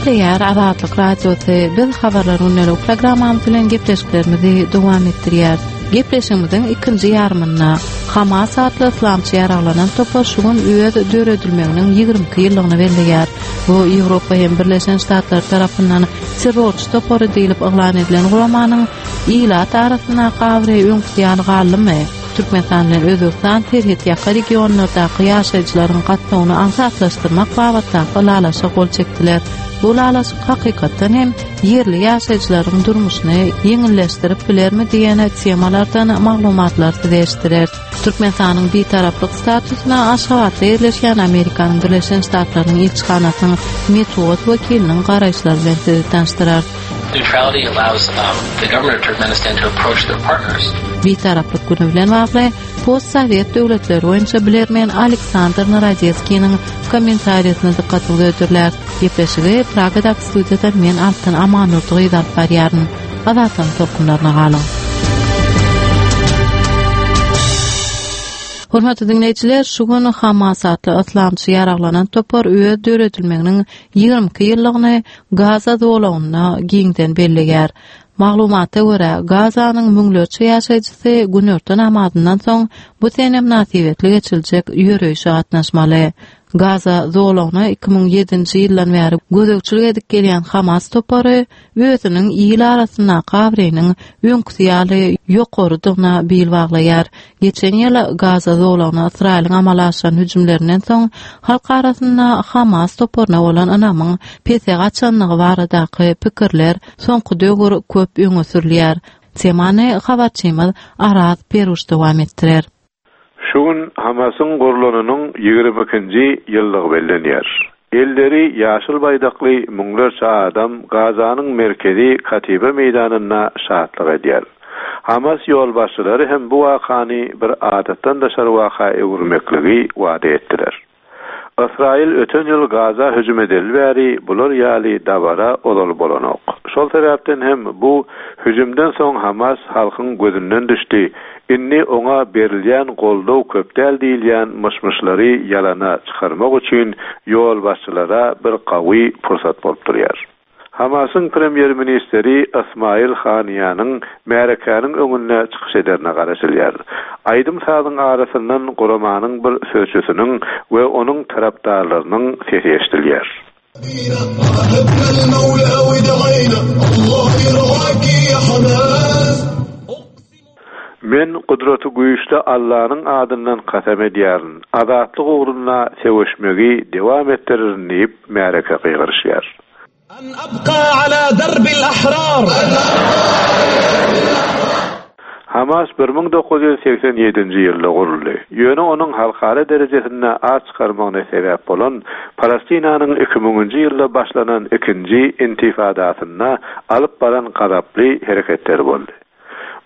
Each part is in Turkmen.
Gepleýär Azatlyk Radiosy. Biz Habarlar gündelik programmamyz bilen gepleşiklerimizi dowam etdirýäris. Gepleşigimiziň ikinji ýarymynda Hamas atly yslamçy ýaraglanan topar şu gün öz döredilmeginiň 22 ýyllygyny belleýär. Bu Ýewropa hem Birleşen Ştatlar tarapyndan terrorçy topary diýlip yglan edilen guramanyň ilat arasyndaky abraýy öňküsi ýaly galdymy? Türkmenistan bilen Özbegistan serhetýaka regionlardaky ýaşaýjylaryň gatnawyny aňsatlaşdyrmak babatdaky ylalaşyga gol çekdiler. Bu ylalaşyk hakykatdan hem ýerli ýaşaýjylaryň durmuşyny ýeňilleşdirip bilermi diýen temalardan maglumatlary size eşitdireris. Türkmenistanyň Bitaraplyk statusyna Aşgabatda ýerleşýän Amerikanyň Birleşen Ştatlarynyň ilçihanasynyň metbugat wekiliniň garaýyşlary bilen sizi tanyşdyrarys. Neutrality allows um, the government of Turkmenistan to approach their partners. Bitaraplyk güni bilen bagly postsowet döwletleri boýunça bilermen Aleksandr Narodetskiniň kommentariýasyny dykgatyňyza hödürläris. Gepleşigi Pragadaky studiýadan men Altyn Amandurdy gyzy alyp barýaryn. Azatlygyň tolkunlaryna galyň. Hormatly diňleýjiler, şu gün Hamas atly yslamçy ýaraglanan topar öz döredilmeginiň 22 ýyllygyny Gaza zolagynda giňden belleýär. Maglumata görä, Gazanyň müňlerçe ýaşaýjysy günorta namazyndan soň bu sene mynasybetli geçiriljek ýöreýşe gatnaşmaly. Gaza zolagyna 2007-nji ýyldan bäri gözegçilik edip gelýän Hamas topary özüniň il arasyndaky abraýynyň öňküsi ýaly ýokarydygyna bil baglaýar. Geçen ýyl Gaza zolagyna Ysraýylyň amala aşyran hüjümlerinden soň halk arasynda Hamas toparyna bolan ynamyň pese gaçandygy baradaky pikirler soňky döwür köp öňe sürülýär. Temany habarçymyz Araz Peruş dowam etdirer. Şu gün Hamasyň gurlanynyň ýigrimi ikinji ýyllygy bellenýär. Elleri ýaşyl baýdakly müňlerçe adam Gazanyň merkezi Katiba meýdanynda şatlyk edýär. Hamas ýolbaşçylary hem bu wakany bir adatdan daşary waka öwürmekligi wada etdiler. Ysraýyl öten ýyl Gaza hüjüm edeli bäri bular ýaly dabara ozal bolanok. Şol sebäpden hem bu hüjümden soň Hamas halkyň gözünden düşdi, indi oňa berilýän goldaw köp däl diýilýän myş-myşlary ýalana çykarmak üçin ýolbaşçylara bir gawy pursat bolup durýar. Hamasyň premýer-ministri Ysmaýyl Haniýanyň märekäniň öňünde çykyş ederine garaşylýar. Aýdym-sazyň arasyndan guramanyň bir sözçüsiniň we onuň tarapdarlarynyň sesi eşidilýär. Men Gudraty Güýçli Allanyň adyndan kasam edýärin, azatlyk ugrunda söweşmegi dowam etdirerin diýip, märeke gygyryşýar. An abka ala darbil ahrar. Hamas 1987-nji ýylda guruldy. Ýöne onuň halkara derejesinde at çykarmagyna sebäp bolan Palestinanyň iki müňünji ýylda başlanan ikinji intifadasynda alyp baran gazaply hereketleri boldy.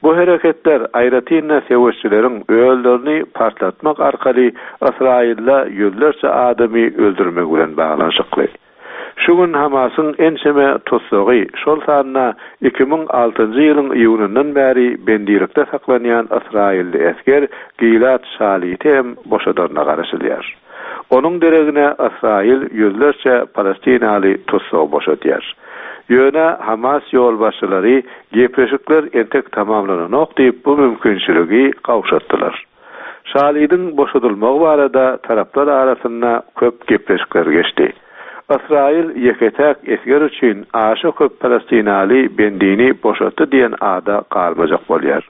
Bu hereketler, aýratyn-da söweşçileriň özlerini partlatmak arkaly Ysraýylda ýüzlerçe adamy öldürmegi bilen baglanyşykly. Şu gün Hamasyň ençeme tussagy, şol sanda 2006-njy ýylyň iýunyndan bäri bendilikde saklanýan ysraýylly esger Gilad Şaliti hem boşadaryna garaşylýar. Onuň deregine Ysraýyl ýüzlerçe palestinaly tussagy boşadýar. Ýöne Hamas ýolbaşçylary gepleşikler entek tamamlananok diýip, bu mümkinçiligi gowşatdylar. Şalidiň boşadylmagy barada taraplar arasynda köp gepleşikler geçdi. Ysraýyl ýeke-täk esger üçin aşa köp palestinaly bendini boşatdy diýen ada galmajak bolýar.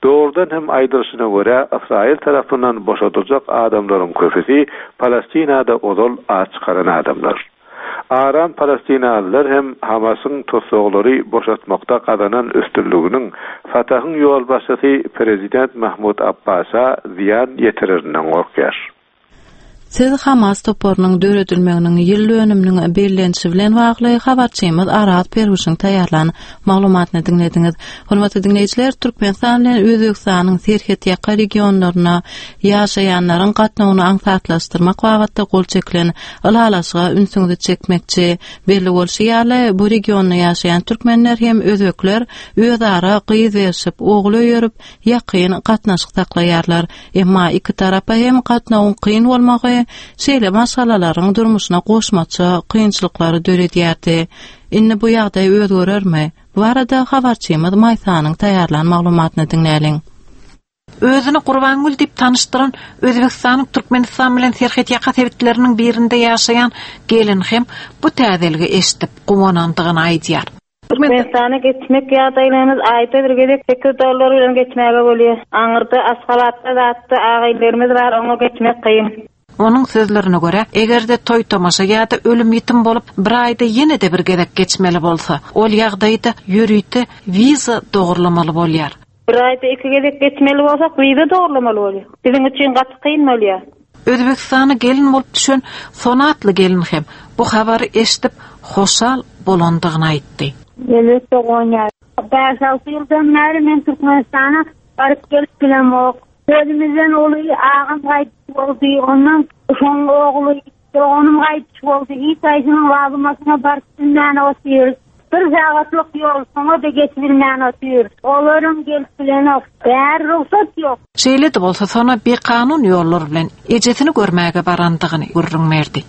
Dogrudan hem aýdylyşyna görä, Ysraýyl tarapyndan boşadyljak adamlaryň köpüsi Palestinada ozal at çykaran adamlar. Aram palestinalylar hem Hamasyň tussaglary boşatmakda gazanan üstünliginiň Fatahyň ýolbaşçysy prezident Mahmud Abbasa zyýan ýetirerinden gorkýar. Siz Hamas toparynyň döredilmeginiň ýyl dönüminiň bellenişi bilen bagly habarçymyz Araz Perwişiň taýýarlan maglumatyny diňlediňiz. Hormatly diňleýjiler, Türkmenistan bilen Özbegistanyň serhetýaka regionlarynda ýaşaýanlaryň gatnawyny aňsatlaşdyrmak babatda gol çekilen ylalaşyga ünsüňizi çekmekçi. Belli bolşy ýaly, bu regionda ýaşaýan türkmenler hem özbekler özara gyz berşip, ogul öýerip, ýakyn gatnaşyk saklaýarlar. Emma iki tarapa hem gatnawyň kyn bolmagy. bolmagy şeýle maşgalalaryň durmuşyna goşmaça kynçylyklary döredýärdi. Indi bu ýagdaý özgerermi? Bu barada habarçymyz Maýsanyň taýýarlan maglumatyny diňläliň. Özüni Gurbangül diýip tanyşdyran Özbegistanyň Türkmenistan bilen serhetýaka sebitleriniň birinde ýaşaýan gelin hem bu täzeligi eşidip, guwanandygyny aýdýar. Türkmenistana geçmek ýagdaýlarymyz aýda bir gezek sekiz dollar bilen geçmäge bolýar. Aňyrda Aşgabatda zatda agaýynlarymyz bar oňa geçmek kyn. Onuň sözlerine görä, eger-de toý-tomaşa ýa-da ölüm-ýitim bolup, bir aýda ýene-de bir gezek geçmeli bolsa, ol ýagdaýda ýörite wiza dogurlamaly bolýar. Bir aýda iki gezek geçmeli bolsak, wiza dogurlamaly bolýar. Biziň üçin gaty kyn bolýar. Özbegistana gelin bolup düşen Sona atly gelin hem bu habary eşidip, hoşal bolandygyny aýtdy. Elbetde guwanýar. Bäş-alty ýyldan bäri men Türkmenistana baryp-gelip bilemok. Özümizden uly agam gaýdyş boldy, ondan şoň ogly, doganym gaýdyş boldy. Hiç haýsynyň lazymasyna baryp bilmän otyrys. Bir sagatlyk ýol, şoňa-da geçibilmän otyrys. Olaram gelip bilenok. Bäri rugsat ýok. Şeýle-de bolsa, Sona bikanun ýollar bilen ejesini görmäge barandygyny gürrüň berdi.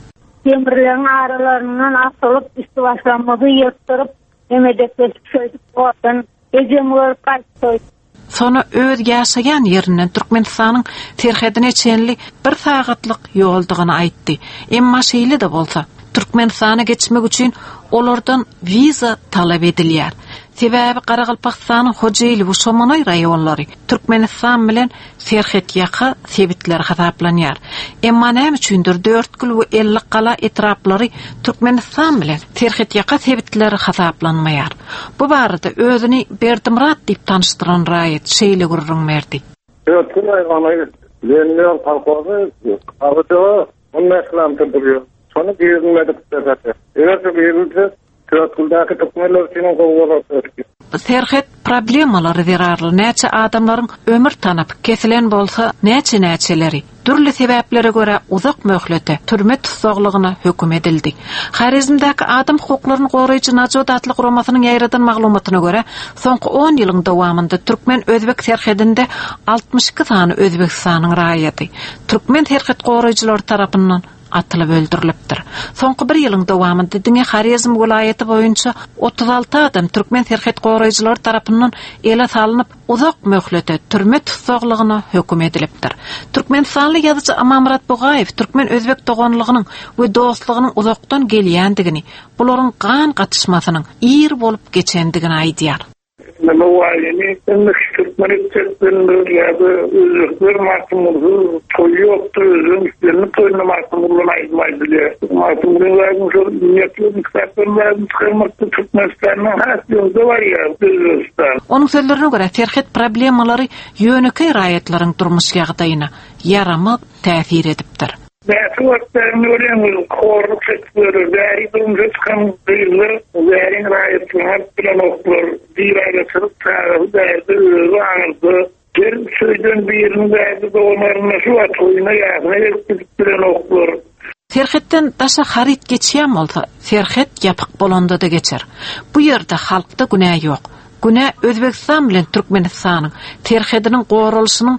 Demirleriň aralaryndan asylyp, üsti-başlarymyzy ýyrtdyryp, emedekleşip şeýdip owadan ejemi görüp gaýtdyk. Sona öz ýaşaýan ýerinden Türkmenistanyň serhedine çenli bir sagatlyk ýoldugyny aýtdy. Emma şeýle-de bolsa, Türkmenistana geçmek üçin olardan wiza talap edilýär. Sebäbi Garagalpagystanyň Hojeýli we Şomanaý raýonlary Türkmenistan bilen serhetýaka sebitler hasaplanýar. Emma näme üçindir Dörtgül we Ellikgala etraplary Türkmenistan bilen serhetýaka sebitler hasaplanmaýar. Bu barada özüni Berdimyrat diýip tanyşdyran raýat şeýle gürrüň berdi. Dörtgül raýony Lenin kolhozy Gabyjawa 15 kilometr durýar. Şony girizmedik serhete. Eger-de girizilse, Dörtgüldäki türkmenler üçinem gowy bolardy. Serhet problemalary zerarly näçe adamlaryň ömür tanapy kesilen bolsa, näçe-näçeleri dürli sebäplere görä uzak möhlete türme tussaglygyna höküm edildi. Horezmdäki adam hukuklaryny goraýjy Najot atly guramasynyň ýaýradan maglumatyna görä, soňky on ýylyň dowamynda türkmen-özbek serhedinde 62 sany Özbegistanyň raýaty türkmen serhet goraýjylary tarapyndan atylyp öldürilipdir. Soňky bir ýylyň dowamynda diňe Horezm welaýaty boýunça 36 adam türkmen serhet goraýjylary tarapyndan ele salnyp, uzak möhlete türme tussaglygyna höküm edilipdir. Türkmenistanly ýazyjy Amanmyrat Bugaýew türkmen-özbek doganlygynyň we dostlugynyň uzakdan gelýändigini, bularyň gan gatyşmasynyň ir bolup geçendigini aýdýar. Nowaýyny indi türkmen etjek bilendir ýa-da özbekler Magtymgulysyz toý ýokdur, özbegiň islendik toýunda Magtymgulydan aýdym aýdylýar. Magtymgulyň zadyny şol ýetmedik kitaplaryň zadyny çykarmakda Türkmenistandan has öňde barýar Özbegistan. Onuň sözlerine görä, serhet problemalary ýönekeý raýatlaryň durmuş ýagdaýyna ýaramaz täsir edipdir. Bäsi wagtlaryny görýäňiz, horluk çekip ýörler. Bäri durmuşa çykan gyzlar bäriň raýatlygyny alyp bilenoklar. Biraýla çykyp, çagasy bärde, özi aňyrda. Gelip söýden biriniň bärde dogan-garyndaşy bar, toýuna, ýasyna gelip gidip bilenoklar. Serhetden daşa haryt geçýän bolsa, serhet ýapyk bolanda-da geçer. Bu ýerde halkda günä ýok. Günä Özbegistan bilen Türkmenistanyň serhediniň goralyşynyň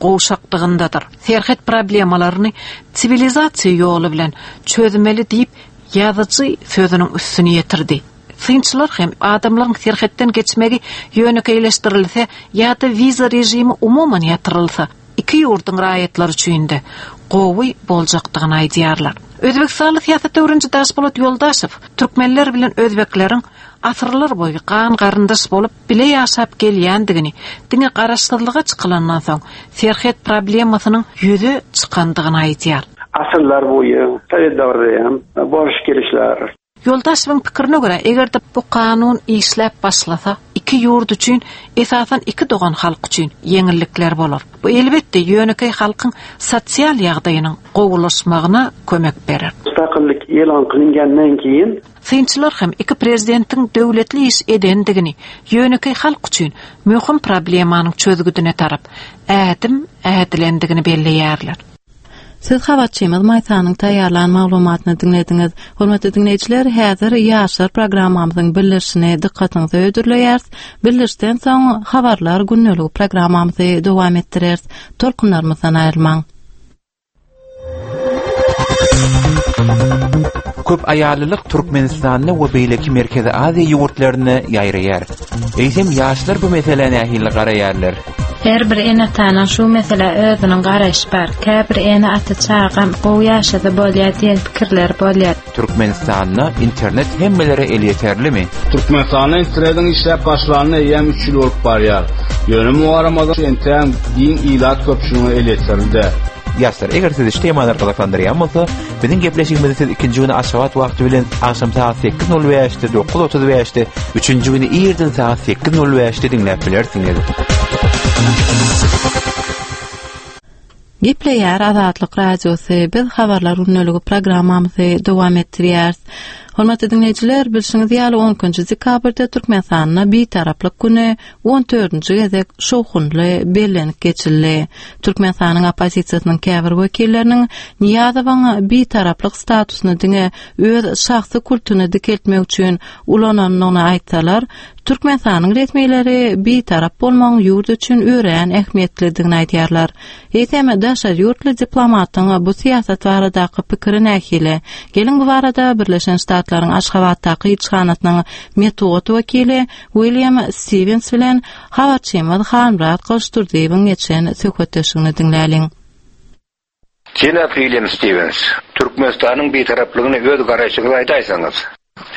gowşakdygyndadyr. Serhet problemalaryny siwilizasiýa ýoly bilen çözmeli diýip, ýazyjy sözüniň üstüni ýetirdi. Synçylar hem adamlaryň serhetden geçmegi ýönekeýleşdirilse ýa-da wiza režimi umuman ýatyrylsa, iki ýurduň raýatlary üçin-de gowy boljakdygyny aýdýarlar. Özbegistanly syýasat öwreniji Daşpolat Ýoldaşow türkmenler bilen özbekleriň asyrlar boýy gan-garyndaş bolup bile ýaşap gelýändigini, diňe garaşsyzlyga çykylandan soň serhet problemasynyň ýüze çykandygyny aýdýar. Asyrlar boýy sowet döwründe hem boruş-gelişler. Ýoldaşewiň pikirine görä, eger-de bu kanun işläp başlasa, iki ýurt üçin, esasan iki dogan halk üçin ýeňillikler bolar. Bu elbetde ýönekeý halkyň sosial ýagdaýynyň gowulaşmagyna kömek berer. Mustaqillik e'lon qilingandan keyin Synçylar hem iki prezidentiň döwletli iş edendigini, ýönekeý halk üçin möhüm problemanyň çözgüdine tarap ädim ädilendigini belleýärler. Siz habarçymyz Maýsanyň taýýarlan maglumatyny diňlediňiz. Hormatly diňleýjiler, häzir Ýaşlar programmamyzyň bildirişini dykgatyňyza hödürleýäris. Bildirişden soň Habarlar gündeligi programmamyzy dowam etdireris. Tolkunlarymyzdan aýrylmaň. Köp aýallylyk Türkmenistanda we beýleki Merkezi Aziýa ýurtlarynda ýaýraýar. Eýsem ýaşlar bu meselä nähili garaýarlar? Her bir ene-atanyň şu meselä özüniň garaýşy bar. Käbir ene-ata çagam gowy ýaşasa bolýar diýen pikirleri bolýar. Türkmenistanda internet hemmelere elýeterlimi? Türkmenistanda internetiň işläp başlanyna eýýäm üç ýyl bolup barýar. Ýöne muňa garamazdan entägem giň ilat köpçüligine elýeterli däl. Ýaşlar, eger sizi şu temalar gyzyklandyrýan bolsa, biziň gepleşigimizi siz ikinji güni Aşgabat wagty bilen agşam sagat 8:05-de, 9:35-de, üçünji güni irden sagat 8:05-de diňläp bilersiňiz. Gepleýär Azatlyk Radiosy, biz Habarlar gündeligi programmamyzy dowam etdirýäris. Hormatly diňleýjiler, bilşiňiz ýaly 12-nji dekabrda Türkmenistanda Bitaraplyk güni on dördünji gezek şowhunly bellenip geçildi. Türkmenistanyň oppozisiýasynyň käbir wekilleriniň Nyýazowyň Bitaraplyk statusyny diňe öz şahsy kultuny dikeltmek üçin ulanandygyny aýtsalar, Türkmenistanyň resmileri bitarap bolmagyň ýurt üçin örän ähmiýetlidigini aýdýarlar. Eýsem, daşary ýurtly diplomatyň bu syýasat baradaky pikiri nähili? Geliň bu barada Birleşen Ştatlaryň Aşgabatdaky ilçihanasynyň metbugat wekili William Stiwens bilen habarçymyz Halmyrat Gylyçdurdyýewiň geçen söhbetdeşligini diňläliň. Jenap William Stiwens, Türkmenistanyň Bitaraplygyna öz garaýşyňyzy aýdaýsaňyz?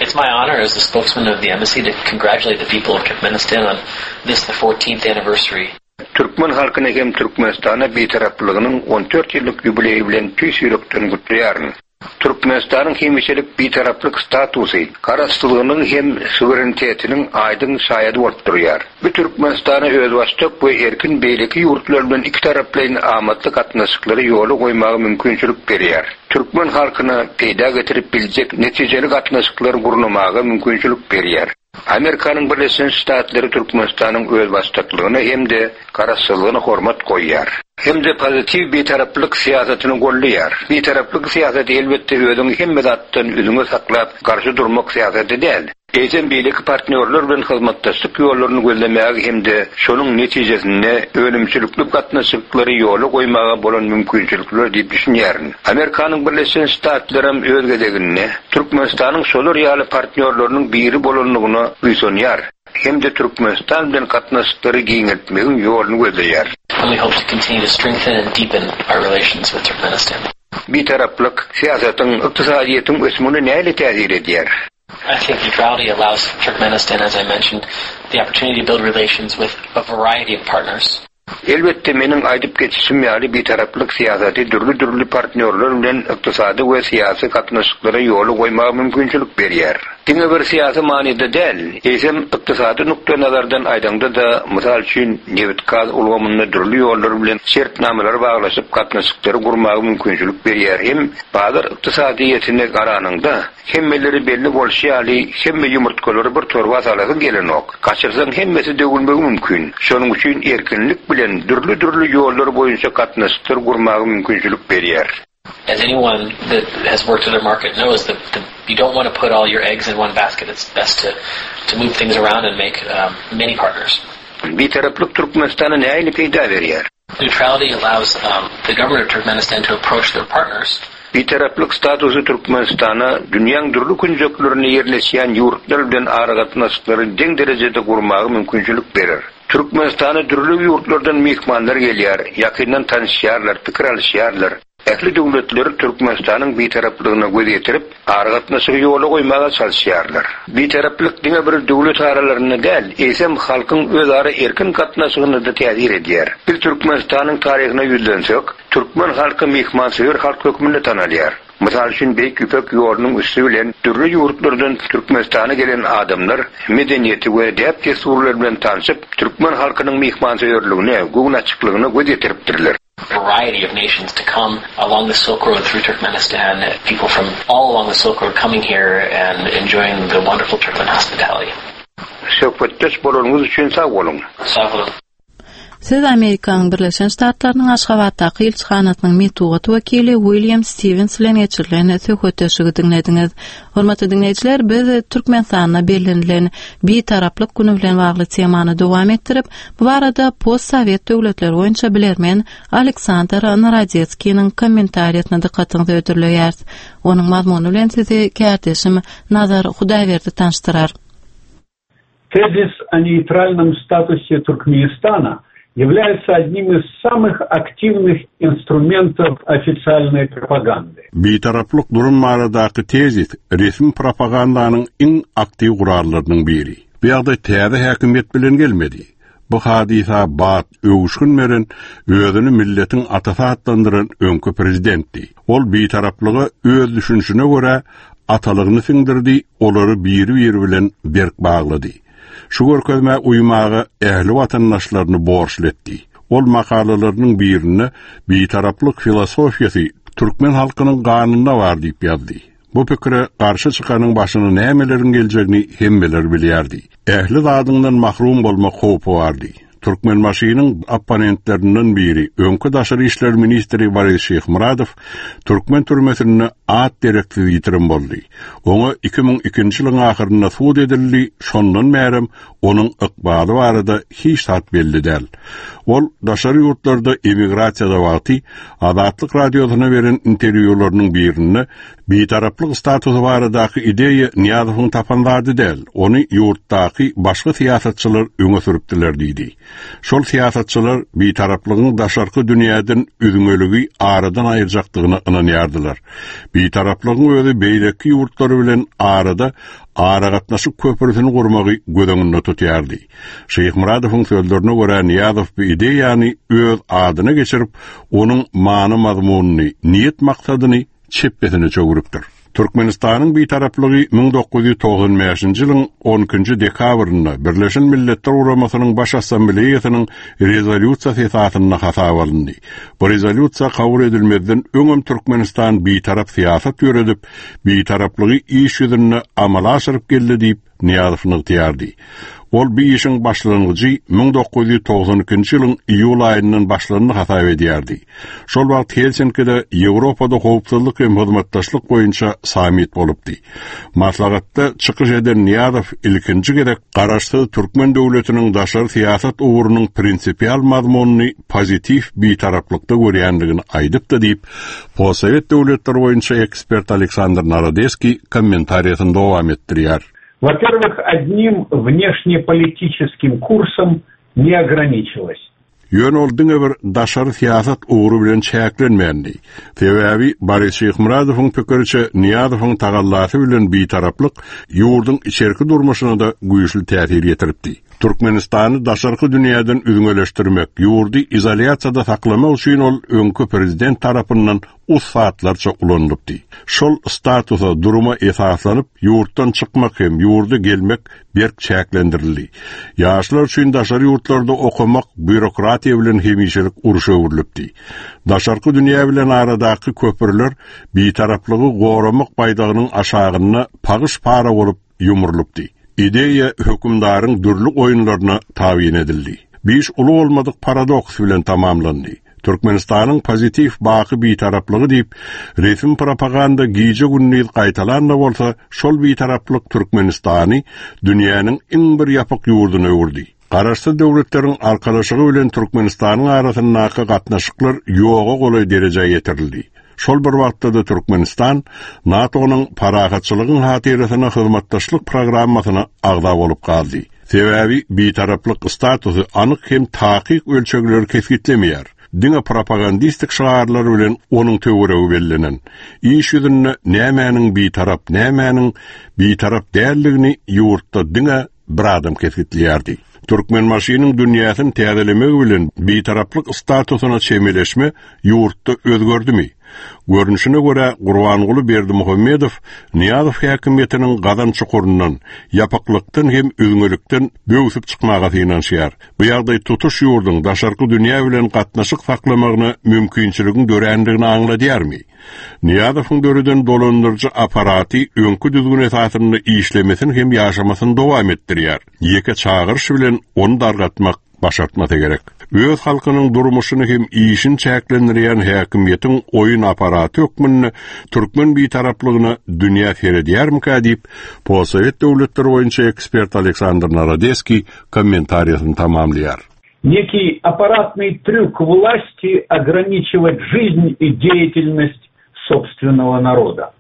It's my honor as the spokesman of the embassy to congratulate the people of Turkmenistan on this the 14th anniversary. Türkmen halkyny hem Türkmenistana Bitaraplygynyň 14 ýyllyk ýubileýi bilen tüýs ýürekden gutlaýaryn. Türkmenistanyň hemişelik Bitaraplyk statusy Garaşsyzlygynyň hem suwerenitetiniň aýdyň şaýady bolup durýar. Bu Türkmenistana özbaşdak we erkin beýleki ýurtlar bilen ikitaraplaýyn amatly gatnaşyklary ýola goýmaga mümkinçilik berýär. Türkmen halkyna peýda getirip biljek netijeli gatnaşyklary gurnamaga mümkinçilik berýär. Amerikanyň Birleşen Ştatlary Türkmenistanyň özbaşdaklygyna hem-de garaşsyzlygyna hormat goýýar. Hem-de pozitiw bitaraplyk syýasatyny goldaýar. Bitaraplyk syýasaty elbetde özüňi hemme zatdan üzňe saklap garşy durmak syýasaty däl. Eýsem beýleki partnýorlar bilen hyzmatdaşlyk ýollaryny gözlemäge hem-de şonuň netijesinde önümçilikli gatnaşyklary ýola goýmaga bolan mümkinçilikler diýip düşünýärin. Amerikanyň Birleşen Ştatlaram öz gezeginde Türkmenistanyň şolar ýaly partnýorlarynyň biri bolandygyna buýsanýar hem-de Türkmenistan bilen gatnaşyklary giňeltmegiň ýoluny gözleýär. And we hope to continue to strengthen and deepen our relations with Turkmenistan. Bitaraplyk syýasatyň ykdysadyýetiň ösmegine nähili täsir edýär? I think neutrality allows Turkmenistan, as I mentioned, the opportunity to build relations with a variety of partners. Elbetde, meniň aýdyp geçişim ýaly, bitaraplyk syýasaty dürli-dürli partnýorlar bilen ykdysady we syýasy gatnaşyklary ýola goýmaga mümkinçilik berýär. Diňe bir syýasy manyda däl, eýsem, ykdysady nukdaýnazardan aýdaňda-da, mysal üçin, nebit-gaz ulgamynda dürli ýollar bilen şertnamalar baglaşyp gatnaşyklary gurmaga mümkinçilik berýär hem bazar ykdysadyýetine garanyňda, Hemmelere belli bolşy ýaly, hemme ýumurtgalary bir torba salasyň gelenok. Gaçyrsaň hemmesi döwülmegi mümkin. Şonuň üçin erkinlik bilen dürli-dürli ýollar boýunça gatnaşyklar gurmaga mümkinçilik berýär. As anyone that has worked in a market knows that you don't want to put all your eggs in one basket, it's best to to move things around and make many partners. Bitaraplyk Türkmenistana nähili peýda berýär? Neutrality allows the government of Turkmenistan to approach their partners. Bitaraplyk statusy Türkmenistana dünýäň dürli künjeklerinde ýerleşýän ýurtlar bilen aragatnaşyklary deň derejede gurmaga mümkinçilik berer. Türkmenistana dürli ýurtlardan myhmanlar gelýär, ýakyndan tanyşýarlar, pikir alyşýarlar. Ähli döwletler Türkmenistanyň Bitaraplygyna göz ýetirip, aragatnaşygy ýola goýmaga çalyşýarlar. Bitaraplyk diňe bir döwlet aralarynda däl, eýsem, halkyň özara erkin gatnaşygyna-da täsir edýär. Biz Türkmenistanyň taryhyna ýüzlensek, türkmen halky myhmansöýer halk hökmünde tanalýar. Mysal üçin, Beýik Ýüpek ýolunyň üsti bilen dürli ýurtlardan Türkmenistana gelen adamlar medeniýeti we däp-dessurlary bilen tanşyp, türkmen halkynyň myhmansöýerligine, göwnaçyklygyna göz ýetiripdirler. variety of nations to come along the Silk Road through Turkmenistan, people from all along the Silk Road coming here and enjoying the wonderful Turkmen hospitality. Söhbetdeş bolanyňyz üçin sag boluň. Sag boluň. Siz Amerikanyň Birleşen Ştatlarynyň Aşgabatdaky ilçihanasynyň metbugat wekili William Stiwens bilen geçirilen söhbetdeşligi diňlediňiz. Hormatly diňleýjiler, biz Türkmenistanda bellenilen Bitaraplyk güni bilen bagly temany dowam etdirip, bu barada postsowet döwletleri boýunça bilermen Aleksandr Narodetskiniň kommentariýasyna dykgatyňyzy hödürleýäris. Onuň mazmuny bilen sizi kärdeşim Nazar Hudaýberdi tanyşdyrar. Tezis о нейтральном статусе Туркменистана является одним из самых активных инструментов официальной пропаганды. Bitaraplyk durum baradaky tezis resmi propagandanyň iň aktiw gurallarynyň biri. Bu ýagdaý täze häkimiýet bilen gelmedi. Bu hadysa bat, öwüşgin beren, özüni milletiň atasy atlandyran öňki prezidentdi. Ol bitaraplyga öz düşünişine görä atalygyny siňdirdi, olary biri-biri bilen berk baglady. Şu görkezmä uýmaga ähli watandaşlaryny borçly etdi. Ol makalalarynyň birinde Bitaraplyk filosofiýasy türkmen halkynyň ganynda bar diýip ýazdy. Bu pikire garşy çykanyň başyna nämeleriň geljegini hemmeler bilýärdi. Ähli zadyňdan mahrum bolmak howpy bardy. Türkmenbaşynyň opponentlerinden biri, öňki daşary işler ministri Boris Şyhmyradow türkmen türmesinde at-dereksiz ýitirim boldy. Oňa 2002-nji ýylyň ahyrynda sud edildi, şondan bärem onuň ykbaly barada hiç zat belli däl. Ol daşary ýurtlarda emigrasiýada wagty Azatlyk Radiosyna beren interwýularynyň birinde Bitaraplyk statusy baradaky ideýa Nyýazowyň tapan zady däl, ony ýurtdaky başga syýasatçylar öňe sürüpdiler diýdi. Şol syýasatçylar bitaraplygyň daşarky dünýäden üzňeligi aradan aýyrjakdygyna ynanýardylar. Bitaraplygyň özi beýleki ýurtlar bilen arada aragatnaşyk köprüsini gurmagy göz öňünde tutýardy. Şyhmyradowyň sözlerine görä, Nyýazow bu ideýany öz adyna geçirip, onuň many-mazmunyny, niýet-maksadyny çepbesine çöwrüpdir. Türkmenistanyň Bitaraplygy 1995-nji ýylyň on ikinji dekabrynda Birleşen Milletler Guramasynyň Baş Assambleýasynyň Rezolýusiýasy esasynda hasaba alyndy. Bu Rezolýusiýa kabul edilmezden öňem Türkmenistan bitarap syýasat ýöredip, Bitaraplygy iş ýüzünde amala aşyryp geldi diýip, Nyýazow nygtaýardy. Ol bu işiň başlangyjy 1992-nji ýylyň iýul aýyndan başlandy hasap edýärdi. Şol wagt Helsinkide Ýewropada howpsuzlyk hem hyzmatdaşlyk boýunça sammit bolupdy. Maslahatda çykyş eden Nyýazow ilkinji gezek garaşsyz türkmen döwletiniň daşary syýasat ugrunyň prinsipial mazmunyny pozitiw bitaraplykda görýändigini aýdypdy diýip, Postsowet döwletleri boýunça ekspert Aleksandr Narodeskiý kommentariýasyny dowam etdirýär. Во-первых, одним внешнеполитическим курсом не ограничилось. Ýöne ol diňe bir daşary syýasat ugry bilen çäklenmändi. Sebäbi Boris Şyhmyradowyň pikiriçe, Nyýazowyň tagallasy bilen bitaraplyk ýurduň içerki durmuşyna-da güýçli täsir ýetiripdi. Türkmenistany daşarky dünýäden üzňeleşdirmek, ýurdy izolýasiýada saklamak üçin ol öňki prezident tarapyndan ussatlarça ulanylypdy. Şol statusa, duruma esaslanyp, ýurtdan çykmak hem ýurda gelmek berk çäklendirildi. Ýaşlar üçin daşary ýurtlarda okamak býurokratiýa bilen hemişelik urşa öwrülipdi. Daşarky dünýä bilen aradaky köprüler Bitaraplygy goramak baýdagynyň aşagynda pagyş-para bolup ýumrulypdy. Ideýa hökümdaryň dürli oýunlaryna tabyn edildi. Bu iş uly bolmadyk paradoks bilen tamamlandy. Türkmenistanyň pozitiw baky bitaraplygy diýip, resmi propaganda gije-gündiz gaýtalan-da bolsa, şol bitaraplyk Türkmenistany dünýäniň iň bir ýapyk ýurduna öwürdi. Garaşsyz Döwletleriň Arkalaşygy bilen Türkmenistanyň arasyndaky gatnaşyklar ýoga golaý derejä ýetirildi. Şol bir wagtda-da Türkmenistan NATO-nyň Parahatçylygyň hatyrasyna hyzmatdaşlyk programmasyna agza bolup galdy. Sebäbi bitaraplyk statusy anyk hem takyk ölçegleri kesgitlemeýär. Diňe propagandistik şygarlar bilen onuň töweregi bellenen. Iş ýüzünde nämäniň bitarap, nämäniň bitarap däldigini ýurtda diňe bir adam kesgitleýärdi. Türkmenbaşynyň dünýäsini täzelemegi bilen bitaraplyk statusyna çemeleşme ýurtda özgerdimi? Görnüşine görä, Gurbanguly Berdimuhamedow Nyýazow häkimiýetiniň gazan çukuryndan, ýapyklykdan hem üzňelikden böwsüp çykmaga synanyşýar. Bu ýagdaý tutuş ýurduň daşarky dünýä bilen gatnaşyk saklamagyna mümkinçiligiň dörändigini aňladýarmy? Nyýazowyň döreden dolandyryjy apparaty öňki düzgün esasynda işlemesini hem ýaşamasyny dowam etdirýär. Ýeke çagyryş bilen ony dargatmak başartmasa gerek. Öz halkynyň durmuşyny hem işini çäklendirýän häkimiýetiň oýun apparaty hökmünde türkmen bitaraplygyna dünýä seredýärmikä diýip, postsowet döwletleri boýunça ekspert Aleksandr Narodeskiý kommentariýasyny tamamlaýar. Некий аппаратный трюк власти ограничивать жизнь и деятельность собственного народа.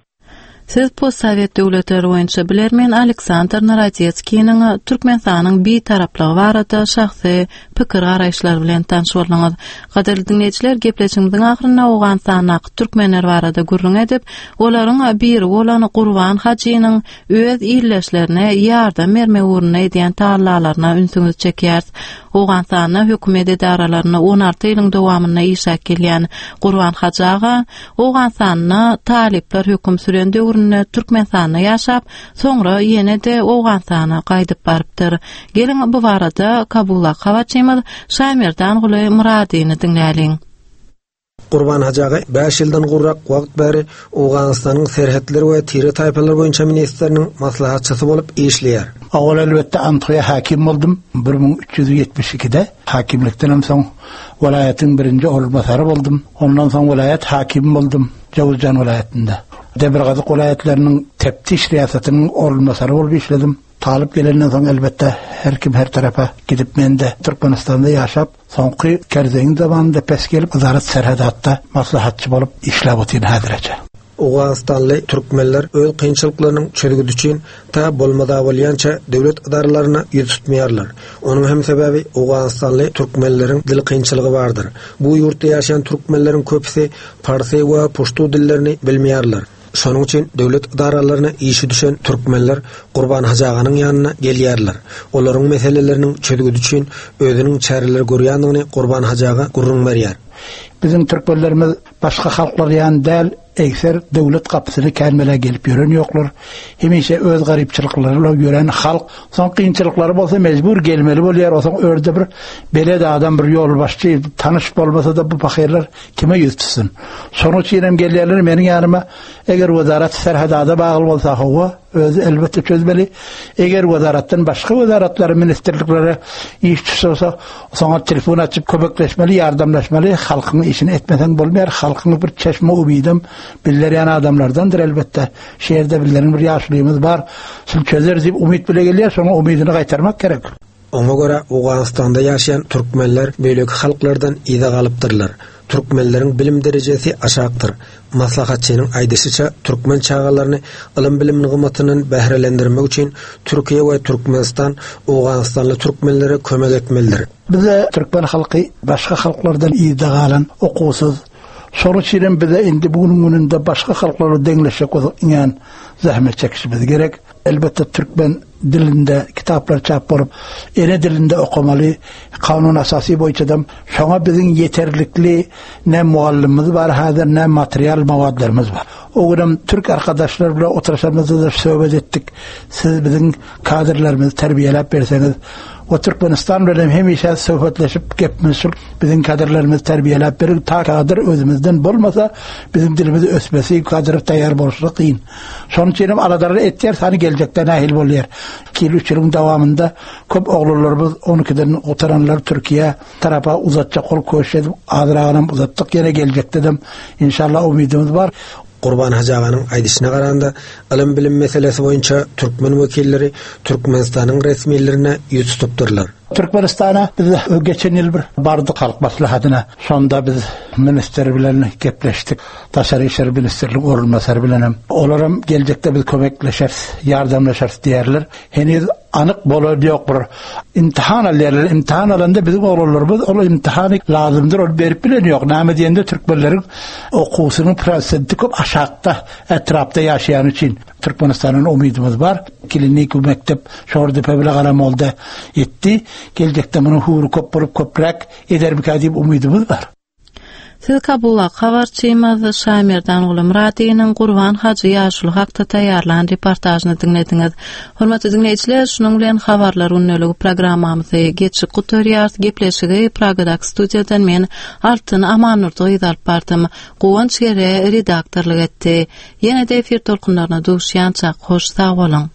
Siz postsowet döwletleri boýunça bilermen Aleksandr Narodetskiniň Türkmenistanyň Bitaraplygy barada şahsy pikir-garaýyşlary bilen tanyş bolduňyz. Gadyrly diňleýjiler, gepleşigimiziň ahyrynda Owganystandaky türkmenler barada gürrüň edip, olaryň biri bolan Gurban hajynyň öz ildeşlerine ýardam bermek ugrunda edýän tagallalaryna ünsüňizi çekýäris. Owganystanda hökümet edaralarynda 16 ýylyň dowamynda işläp gelýän Gurban hajy aga Owganystanda talyplar höküm süren döwründe Türkmenistanda ýaşap, soňra ýene-de Owganystana gaýdyp barypdyr. Geliň, bu barada Kabuldaky habarçymyz Şaýmerdanguly Myradyny diňläliň. Gurban hajy aga bäş ýyldan gowrak wagt bäri Owganystanyň serhetler we tire-taýpalar boýunça ministriniň maslahatçysy bolup işleýär. Owal elbetde Anthoýa häkim boldum, 1372-de. Häkimlikdenem soň welaýatyň birinji orunbasary boldum. Ondan soň welaýat häkimi boldum, Jowuzjan welaýatynda. Demirgazyk welaýatlarynyň teftiş riýasatynyň orunbasary bolup işledim. Talyp gelenden soň elbetde her kim her tarapa gidip men-de Türkmenistanda ýaşap, soňky Kerzeýiň zamanynda pes gelip Yzarat Serhedatda maslahatçy bolup işläp otyryn häzirece. Owganystanly türkmenler öz kynçylyklarynyň çözgüdi üçin ta bolmada bolýança döwlet edaralaryna ýüz tutmaýarlar. Onuň hem sebäbi owganystanly türkmenleriň dil kynçylygy bardyr. Bu ýurtda ýaşaýan türkmenleriň köpüsi parsy we puştu dillerini bilmeýärler. Şonuň üçin döwlet edaralaryna işi düşen türkmenler Gurban hajy aganyň ýanyna gelýärler. Olaryň meseleleriniň çözgüdi üçin özüniň çäreler görýändigini Gurban hajy aga gürrüň berýär. Biziň türkmenlerimiz Başga halklar ýaly däl, egser döwlet gapysyna kän-bela gelip ýören ýoklar. Hemişe öz garypçylyklary bilen ýören halk. Soň kynçylyklary bolsa mejbur gelmeli bolýar. Osoň örde bir belet adam, bir ýolbaşçy, tanyş bolmasa-da bu pahyrlar kime ýüz tutsun? Şonuň üçin hem gelýärler meniň ýanyma. Eger wezarat serhedada bagly bolsa, hawa. Özi elbetde çözmeli. Eger wezaratdan başga wezaratlara, ministrliklere iş düşse bolsa, soňa telefon açyp kömekleşmeli, ýardamlaşmaly. Halkyň işini etmeseň bolmaýar. Halkyň bir çeşme umydam bizler ýaly adamlardandyr elbetde. Şu ýerde bizleriň bir ýaşulymyz bar. Şul çözer diýip umyt bile gelýär, şoňa umydyny gaýtarmak gerek. Oňa görä, Owganystanda ýaşaýan türkmenler beýleki halklardan yza galypdyrlar. Türkmenleriň bilim derejesi aşakdyr. Maslahatçynyň aýdyşyça, türkmen çagalaryny ylym-bilim nygmatyndan bährelendirmek üçin Türkiýe we Türkmenistan owganystanly türkmenlere kömek etmelidir. Bize türkmen halky başga halklardan yzda galan, okuwsyz. Şonuň üçin hem bize indi bu günüň gününde başga halklara deňleşjek bolsak iňňän zähmet çekişimiz gerek. Elbetde türkmen dilinde kitaplar çap bolup, ene dilinde okamaly, kanun asasy boýunçadam şoňa biziň ýeterlikli ne mugallymymyz bar häzir, ne material mawadlarymyz bar. O günem türk arkadaşlar bilen oturyşamyzda-da söhbet etdik. Siz biziň kadrlarymyzy terbiýeläp berseňiz, o Türkmenistan bilen hemişe söhbetleşip gepimiz şul, biziň kadrlarymyzy terbiýeläp beriň, ta kadr özümizden bolmasa, biziň dilimiz ösmesi, kadr taýýar bolşy kyn. Şonuň üçin hem aladalar etýäris, hany geljekde nähili bolýar. Iki ýyl, üç ýylyň dowamynda köp oglanlarymyz on ikiden gutaranlar Türkiýä tarapa uzatjak bolup köşüş edip, azragynam uzatdyk. Ýene geljekdedem inşallah umydymyz bar. Gurban hajy aganyň aýdyşyna garanda, ylym-bilim meselesi boýunça türkmen wekilleri Türkmenistanyň resmilerine ýüz tutupdyrlar. Türkmenistana biz geçen ýyl bir bardyk Halk Maslahatyna. Şonda biz ministr bilen gepleşdik. Daşary işler ministriniň orunbasary bilenem. Olaram geljekde biz kömekleşeris, ýardamlaşarys diýýärler. Heniz anyk bolan ýok bir imtihan alýarlar. Imtihan alanda biziň oglanlarymyz ol imtihany lazymdyr ony berip bilen ýok. Näme diýende türkmenleriň okuwsynyň prosenti köp aşakda etrapda ýaşaýany üçin. Türkmenistandan umydymyz bar. Klinik mekdep Şordepe bile Garamolda etdi. Geljekde munuň höwri köp bolup köpräk edermikä diýip umydymyz bar. Siz Kabuldaky habarçymyz Şaýmerdanguly Myradynyň Gurban hajy ýaşuly hakda taýýarlan reportažyny diňlediňiz. Hormatly diňleýjiler, şunuň bilen Habarlar gündeligi programmamyzy geçip gutarýarys. Gepleşigi Pragadaky studiýadan men Altyn Amannurdy gyzy alyp bardym. Guwanç Gere redaktorlyk etdi. Ýene-de efir tolkunlaryna duşýançak, hoş sag boluň!